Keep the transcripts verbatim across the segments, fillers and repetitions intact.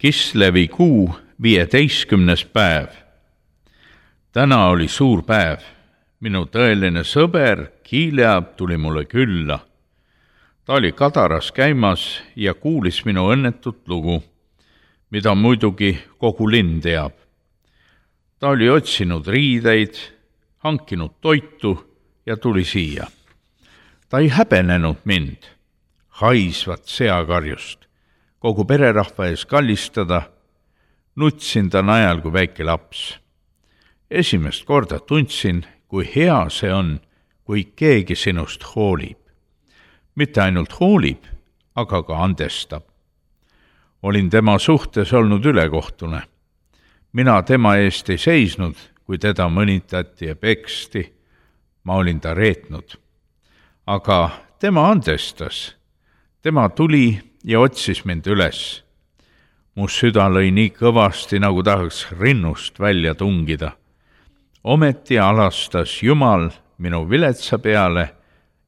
Kislevi kuu viieteistkümnes päev. Täna oli suur päev. Minu tõeline sõber Kiileab tuli mulle külla. Ta oli Kadaras käimas ja kuulis minu õnnetut lugu, mida muidugi kogu linn teab. Ta oli otsinud riideid, hankinud toitu ja tuli siia. Ta ei häbenenud mind, haisvat seakarjust, kogu pererahva ees kallistada. Nutsin ta najal kui väike laps. Esimest korda tundsin, kui hea see on, kui keegi sinust hoolib. Mitte ainult hoolib, aga ka andestab. Olin tema suhtes olnud ülekohtune. Mina tema eest ei seisnud, kui teda mõnitati ja peksti. Ma olin ta reetnud. Aga tema andestas. Tema tuli ja otsis mind üles. Mu süda lõi nii kõvasti, nagu tahaks rinnust välja tungida. Ometi alastas Jumal minu viletsa peale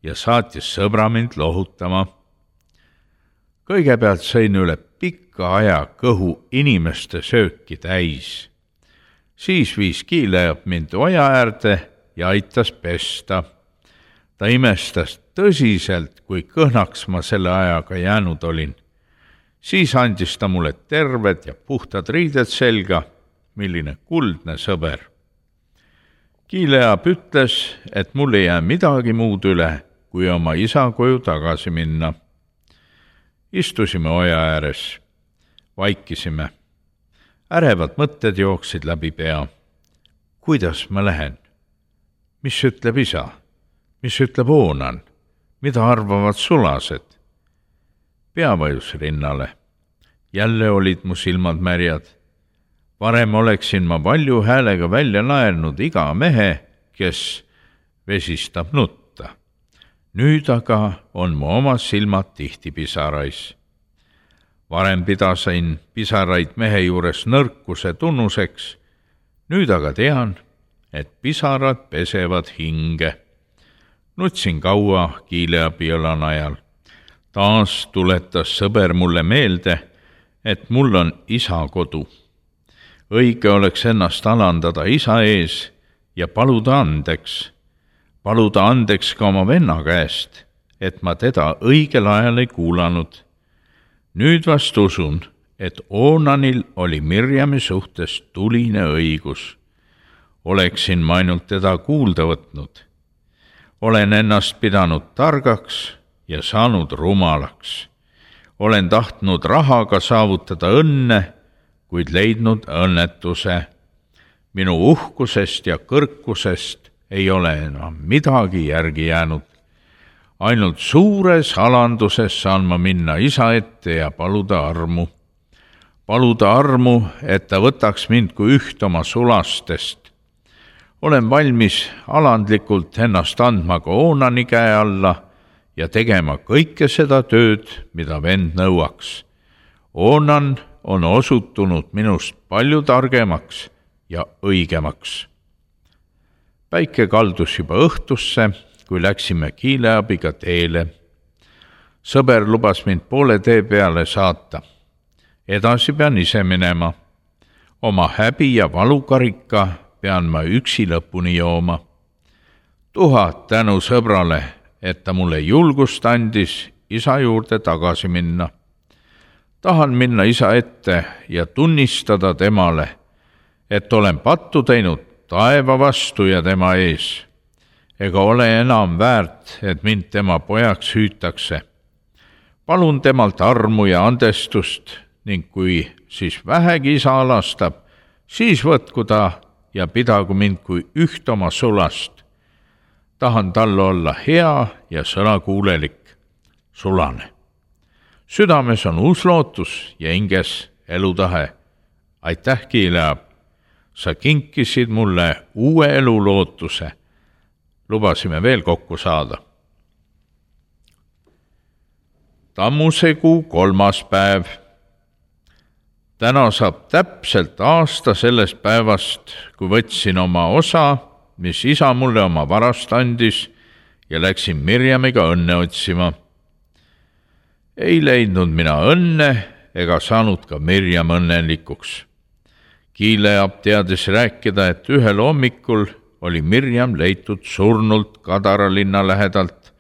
ja saatis sõbra mind lohutama. Kõigepealt sõin üle pikka aja kõhu inimeste sööki täis. Siis viis Kiileab mind oja äärde ja aitas pesta. Ta imestas tõsiselt, kui kõhnaks ma selle ajaga jäänud olin. Siis andis ta mulle terved ja puhtad riided selga, milline kuldne sõber. Kiileab ütles, et mul ei jää midagi muud üle, kui oma isa koju tagasi minna. Istusime oja ääres, vaikisime. Ärevad mõtted jooksid läbi pea. Kuidas ma lähen? Mis ütleb isa? Mis ütleb Oonan? Mida arvavad sulased? Pea vajus rinnale. Jälle olid mu silmad märjad. Varem oleksin ma valju häälega välja naernud iga mehe, kes vesistab nutta. Nüüd aga on mu oma silmad tihti pisarais. Varem pidasin pisaraid mehe juures nõrkuse tunnuseks. Nüüd aga tean, et pisarad pesevad hinge. Nutsin kaua Kiileabi õla najal. Taas tuletas sõber mulle meelde, et mul on isa kodu. Õige oleks ennast alandada isa ees ja paluda andeks. Paluda andeks ka oma venna käest, et ma teda õigel ajal ei kuulanud. Nüüd vast usun, et Oonanil oli Mirjami suhtes tuline õigus. Oleksin ma ainult teda kuulda võtnud. Olen ennast pidanud targaks ja saanud rumalaks. Olen tahtnud rahaga saavutada õnne, kuid leidnud õnnetuse. Minu uhkusest ja kõrkusest ei ole enam midagi järgi jäänud. Ainult suures alanduses saan ma minna isa ette ja paluda armu. Paluda armu, et ta võtaks mind kui üht oma sulastest. Olen valmis alandlikult ennast andma ka Oonani käe alla ja tegema kõike seda tööd, mida vend nõuaks. Oonan on osutunud minust palju targemaks ja õigemaks. Päike kaldus juba õhtusse, kui läksime Kiileabiga teele. Sõber lubas mind poole tee peale saata. Edasi pean ise minema. Oma häbi ja valukarika pean ma üksi lõpuni jooma. Tuhat tänu sõbrale, et ta mulle julgust andis isa juurde tagasi minna. Tahan minna isa ette ja tunnistada temale, et olen pattu teinud taeva vastu ja tema ees. Ega ole enam väärt, et mind tema pojaks hüütakse. Palun temalt armu ja andestust ning kui siis vähegi isa alastab, siis võtku ta ja pidagu mind kui üht oma sulast. Tahan talle olla hea ja sõnakuulelik, sulane. Südames on uus lootus ja hinges elutahe. Aitäh, Kiileab. Sa kinkisid mulle uue elu lootuse. Lubasime veel kokku saada. Tammusekuu kolmas päev. Täna saab täpselt aasta sellest päevast, kui võtsin oma osa, mis isa mulle oma varast andis ja läksin Mirjamiga õnne otsima. Ei leidnud mina õnne ega saanud ka Mirjam õnnelikuks. Kiileab teadis rääkida, et ühel hommikul oli Mirjam leitud surnult Kadara linna lähedalt,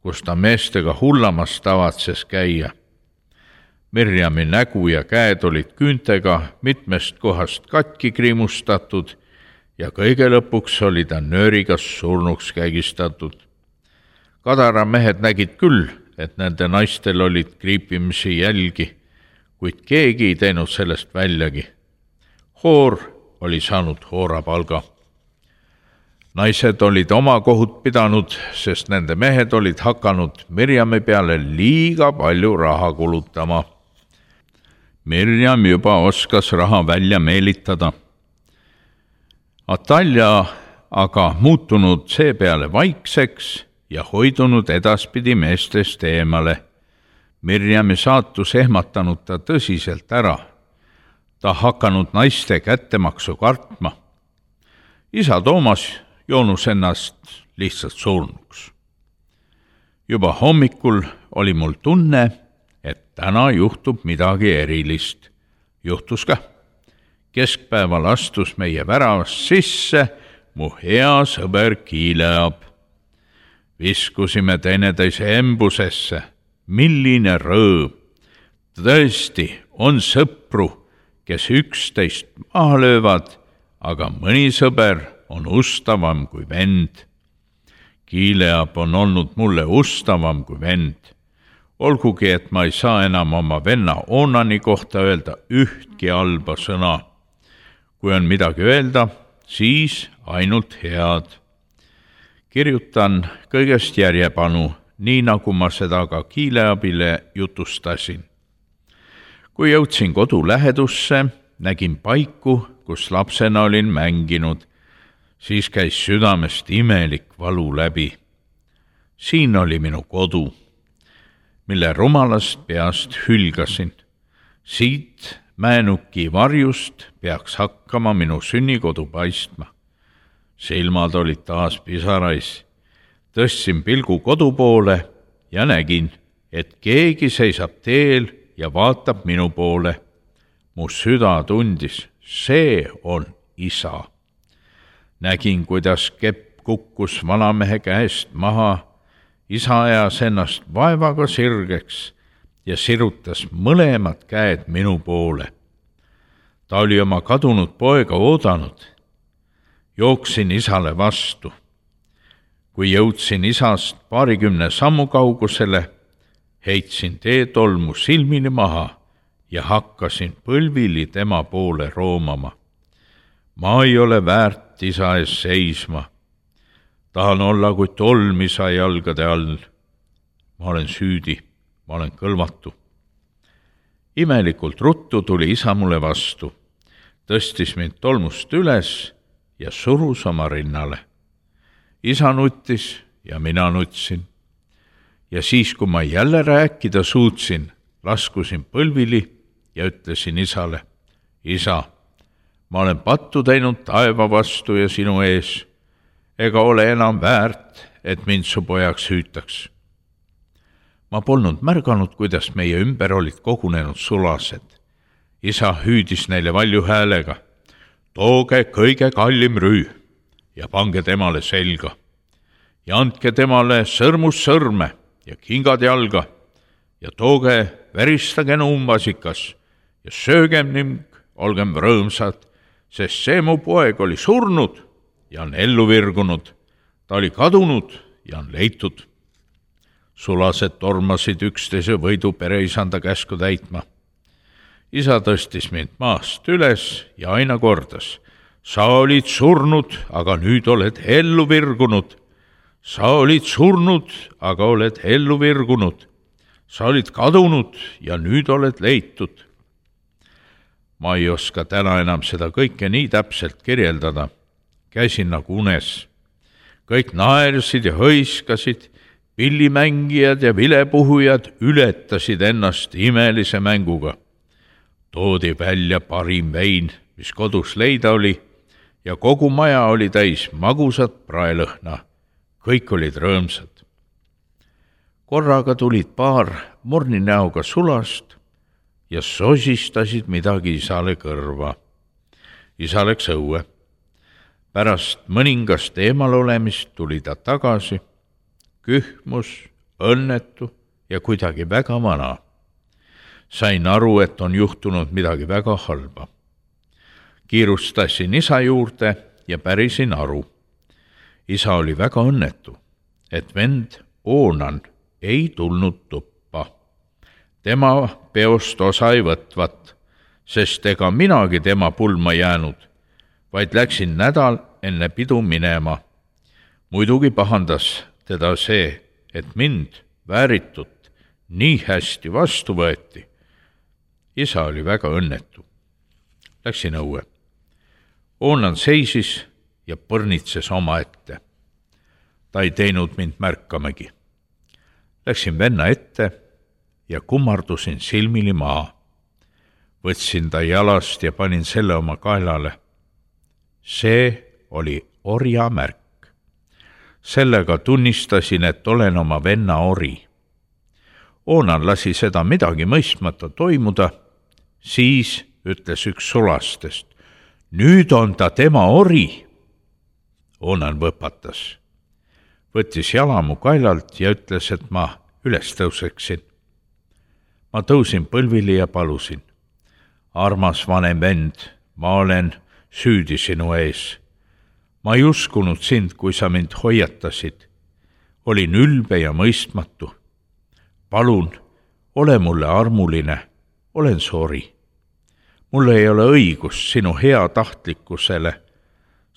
kus ta meestega hullamas tavatses käia. Mirjami nägu ja käed olid küüntega mitmest kohast katki kriimustatud ja kõige lõpuks oli ta nööriga surnuks kägistatud. Kadara mehed nägid küll, et nende naistel olid kriipimisi jälgi, kuid keegi ei teinud sellest väljagi. Hoor oli saanud hoorapalga. Naised olid oma kohut pidanud, sest nende mehed olid hakanud Mirjami peale liiga palju raha kulutama. Mirjam juba oskas raha välja meelitada. Atalja aga muutunud seepeale vaikseks ja hoidunud edaspidi meestest eemale. Mirjami saatus ehmatanud ta tõsiselt ära. Ta hakanud naiste kättemaksu kartma. Isa Toomas joonus ennast lihtsalt surnuks. Juba hommikul oli mul tunne, et täna juhtub midagi erilist. Juhtus ka. Keskpäeval astus meie väravast sisse mu hea sõber Kiileab. Viskusime teineteise embusesse. Milline rõõm! Tõesti on sõpru, kes üksteist maha löövad, aga mõni sõber on ustavam kui vend. Kiileab on olnud mulle ustavam kui vend. Olgugi, et ma ei saa enam oma venna Onani kohta öelda ühtki halba sõna. Kui on midagi öelda, siis ainult head. Kirjutan kõigest järjepanu, nii nagu ma seda ka Kiileabile jutustasin. Kui jõudsin kodu lähedusse, nägin paiku, kus lapsena olin mänginud, siis käis südamest imelik valu läbi. Siin oli minu kodu, mille rumalast peast hülgasin. Siit Mäenuki varjust peaks hakkama minu sünnikodu paistma. Silmad olid taas pisarais. Tõstsin pilgu kodu poole ja nägin, et keegi seisab teel ja vaatab minu poole. Mu süda tundis, see on isa. Nägin, kuidas kepp kukkus vanamehe käest maha. Isa ajas ennast vaevaga sirgeks ja sirutas mõlemad käed minu poole. Ta oli oma kadunud poega oodanud. Jooksin isale vastu. Kui jõudsin isast paarikümne sammu kaugusele, heitsin teetolmu silmini maha ja hakkasin põlvili tema poole roomama. Ma ei ole väärt isa ees seisma. Tahan olla kui tolm isa jalgade all. Ma olen süüdi, ma olen kõlvatu. Imelikult ruttu tuli isa mulle vastu, tõstis mind tolmust üles ja surus oma rinnale. Isa nuttis ja mina nutsin. Ja siis, kui ma jälle rääkida suutsin, laskusin põlvili ja ütlesin isale, isa, ma olen pattu teinud taeva vastu ja sinu ees, ega ole enam väärt, et mind su pojaks hüütaks. Ma polnud märganud, kuidas meie ümber olid kogunenud sulased. Isa hüüdis neile valju häälega, tooge kõige kallim rüü ja pange temale selga ja andke temale sõrmus sõrme ja kingad jalga ja tooge veristage numbasikas ja söögem ning olgem rõõmsad, sest see mu poeg oli surnud ja on ellu virgunud, ta oli kadunud ja on leitud. Sulased tormasid üksteise võidu pereisanda käsku täitma. Isa tõstis mind maast üles ja aina kordas, sa olid surnud, aga nüüd oled ellu virgunud. Sa olid surnud, aga oled ellu virgunud. Sa olid kadunud ja nüüd oled leitud. Ma ei oska täna enam seda kõike nii täpselt kirjeldada. Käisin nagu unes. Kõik naersid ja hõiskasid, pillimängijad ja vilepuhujad ületasid ennast imelise mänguga. Toodi välja parim vein, mis kodus leida oli, ja kogu maja oli täis magusat praelõhna. Kõik olid rõõmsad. Korraga tulid paar morninäoga sulast, ja sosistasid midagi isale kõrva. Isa läks õue. Pärast mõningast eemal olemist tuli ta tagasi, kühmus, õnnetu ja kuidagi väga vana. Sain aru, et on juhtunud midagi väga halba. Kiirustasin isa juurde ja pärisin aru. Isa oli väga õnnetu, et vend Oonan ei tulnud tuppa. Tema peost osa ei võtvat, sest ega minagi tema pulma jäänud, vaid läksin nädal enne pidu minema. Muidugi pahandas teda see, et mind vääritut nii hästi vastu võeti. Isa oli väga õnnetu. Läksin õue. Oonan seisis ja põrnitses oma ette. Ta ei teinud mind märkamegi. Läksin venna ette ja kummardusin silmili maa. Võtsin ta jalast ja panin selle oma kaelale. See oli orja märk. Sellega tunnistasin, et olen oma venna ori. Oonan lasi seda midagi mõistmata toimuda, siis ütles üks sulastest. Nüüd on ta tema ori. Oonan võpatas. Võttis jala mu kaelalt ja ütles, et ma üles tõuseksin. Ma tõusin põlvili ja palusin. Armas vanem vend, ma olen süüdi sinu ees. Ma ei uskunud sind, kui sa mind hoiatasid. Olin ülbe ja mõistmatu. Palun, ole mulle armuline, olen sori. Mul ei ole õigust sinu hea tahtlikkusele,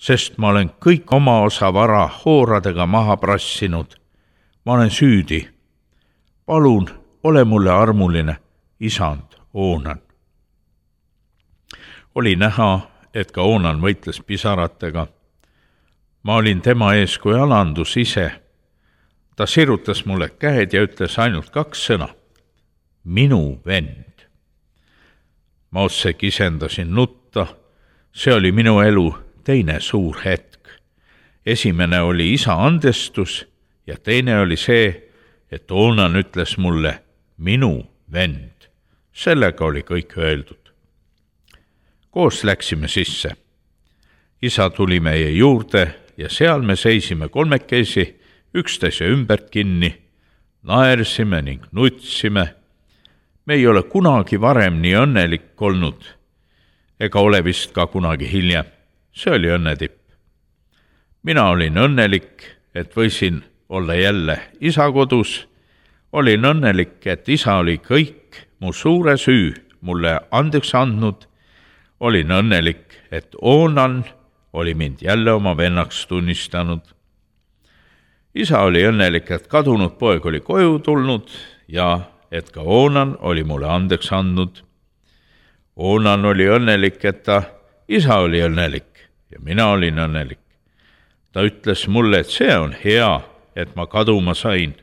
sest ma olen kõik oma osa vara hooradega maha prassinud. Ma olen süüdi. Palun, ole mulle armuline, isand Oonan. Oli näha, et ka Oonan võitles pisaratega. Ma olin tema ees kui alandus ise. Ta sirutas mulle käed ja ütles ainult kaks sõna. Minu vend. Ma otse kisendasin nutta. See oli minu elu teine suur hetk. Esimene oli isa andestus ja teine oli see, et Oonan ütles mulle minu vend. Sellega oli kõik öeldud. Koos läksime sisse. Isa tuli meie juurde ja seal me seisime kolmekesi, üksteise ümbert kinni, naersime ning nutsime. Me ei ole kunagi varem nii õnnelik olnud, ega ole vist ka kunagi hiljem. See oli õnnetipp. Mina olin õnnelik, et võisin olla jälle isa kodus. Olin õnnelik, et isa oli kõik mu suure süü mulle andeks andnud. Olin õnnelik, et Oonan oli mind jälle oma vennaks tunnistanud. Isa oli õnnelik, et kadunud poeg oli koju tulnud ja et ka Oonan oli mulle andeks andnud. Oonan oli õnnelik, et ta isa oli õnnelik ja mina olin õnnelik. Ta ütles mulle, et see on hea, et ma kaduma sain,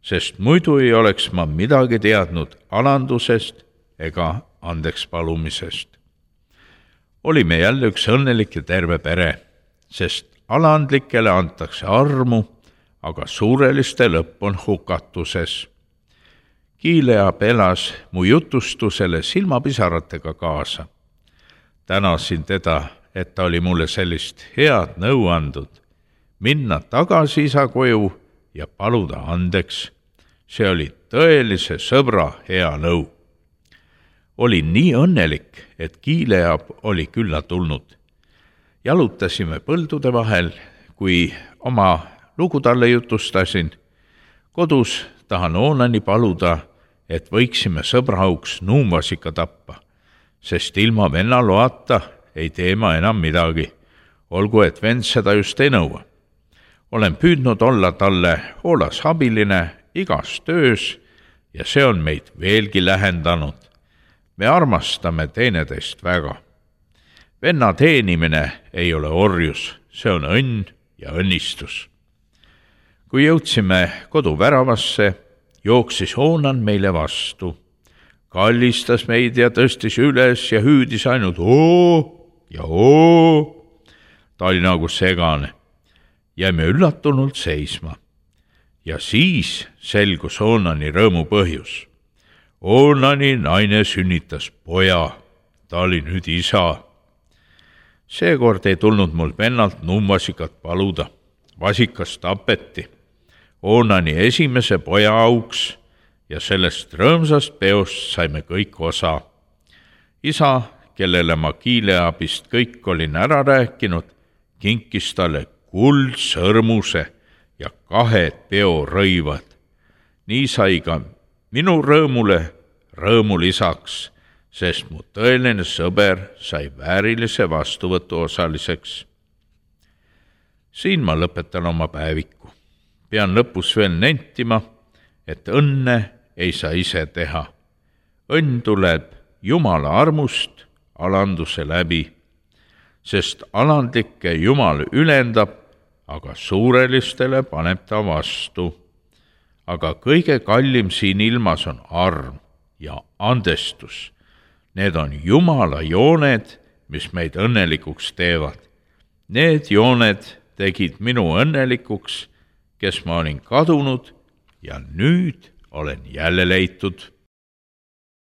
sest muidu ei oleks ma midagi teadnud alandusest ega andeks palumisest. Olime jälle üks õnnelik ja terve pere, sest alandlikele antakse armu, aga suureliste lõpp on hukatuses. Kiileab elas mu jutustusele silmapisaratega kaasa. Tänasin teda, et ta oli mulle sellist head nõu andud, minna tagasi isa koju ja paluda andeks. See oli tõelise sõbra hea nõu. Olin nii õnnelik, et Kiileab oli külla tulnud. Jalutasime põldude vahel, kui oma lugu talle jutustasin. Kodus tahan Oonani paluda, et võiksime sõbrauks nuumvasika tappa, sest ilma venna loata ei tee ma enam midagi, olgu et vend seda just ei nõua. Olen püüdnud olla talle hoolas abiline igas töös ja see on meid veelgi lähendanud. Me armastame teineteist väga. Venna teenimine ei ole orjus, see on õnn ja õnnistus. Kui jõudsime kodu väravasse, jooksis Oonan meile vastu. Kallistas meid ja tõstis üles ja hüüdis ainult oo ja oo. Ta oli nagu segane. Jäime üllatunult seisma. Ja siis selgus Oonani rõõmu põhjus. Oonani naine sünnitas poja, ta oli nüüd isa. Seekord ei tulnud mul vennalt nummvasikat paluda. Vasikas tapeti Oonani esimese poja auks ja sellest rõõmsast peost saime kõik osa. Isa, kellele ma kiileabist kõik olin ära rääkinud, kinkis talle kuldsõrmuse ja kahed peorõivad. Nii sai ka minu rõõmule rõõmu lisaks, sest mu tõeline sõber sai väärilise vastuvõtu osaliseks. Siin ma lõpetan oma päeviku. Pean lõpus veel nentima, et õnne ei saa ise teha. Õnn tuleb Jumala armust alanduse läbi, sest alandlikke Jumal ülendab, aga suurelistele paneb ta vastu. Aga kõige kallim siin ilmas on arm ja andestus. Need on Jumala jooned, mis meid õnnelikuks teevad. Need jooned tegid minu õnnelikuks, kes ma olin kadunud ja nüüd olen jälle leitud.